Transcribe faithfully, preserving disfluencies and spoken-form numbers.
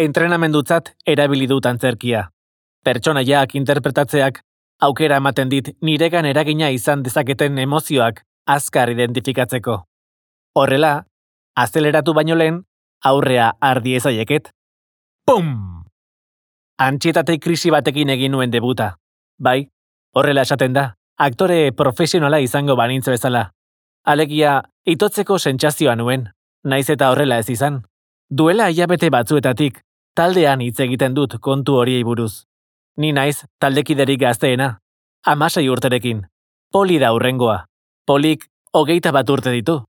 entrenamendutzat erabili dut antzerkia. Pertsonaiak interpretatzeak aukera ematen dit niregan eragina izan dezaketen emozioak azkar identifikatzeko. Horrela, azeleratu baino lehen, aurrea har diezaieket. Pum! Antsietate krisi batekin egin nuen debuta. Bai, horrela esaten da, aktore profesionala izango banintz bezala. Alegia, itotzeko sentsazioa nuen, naiz eta horrela ez izan. Duela hilabete batzuetatik, taldean hitz egiten dut kontu horiei buruz. Ni naiz taldekiderik gazteena, hamasei urterekin. Poli da hurrengoa. Polik hogeita bat urte ditu.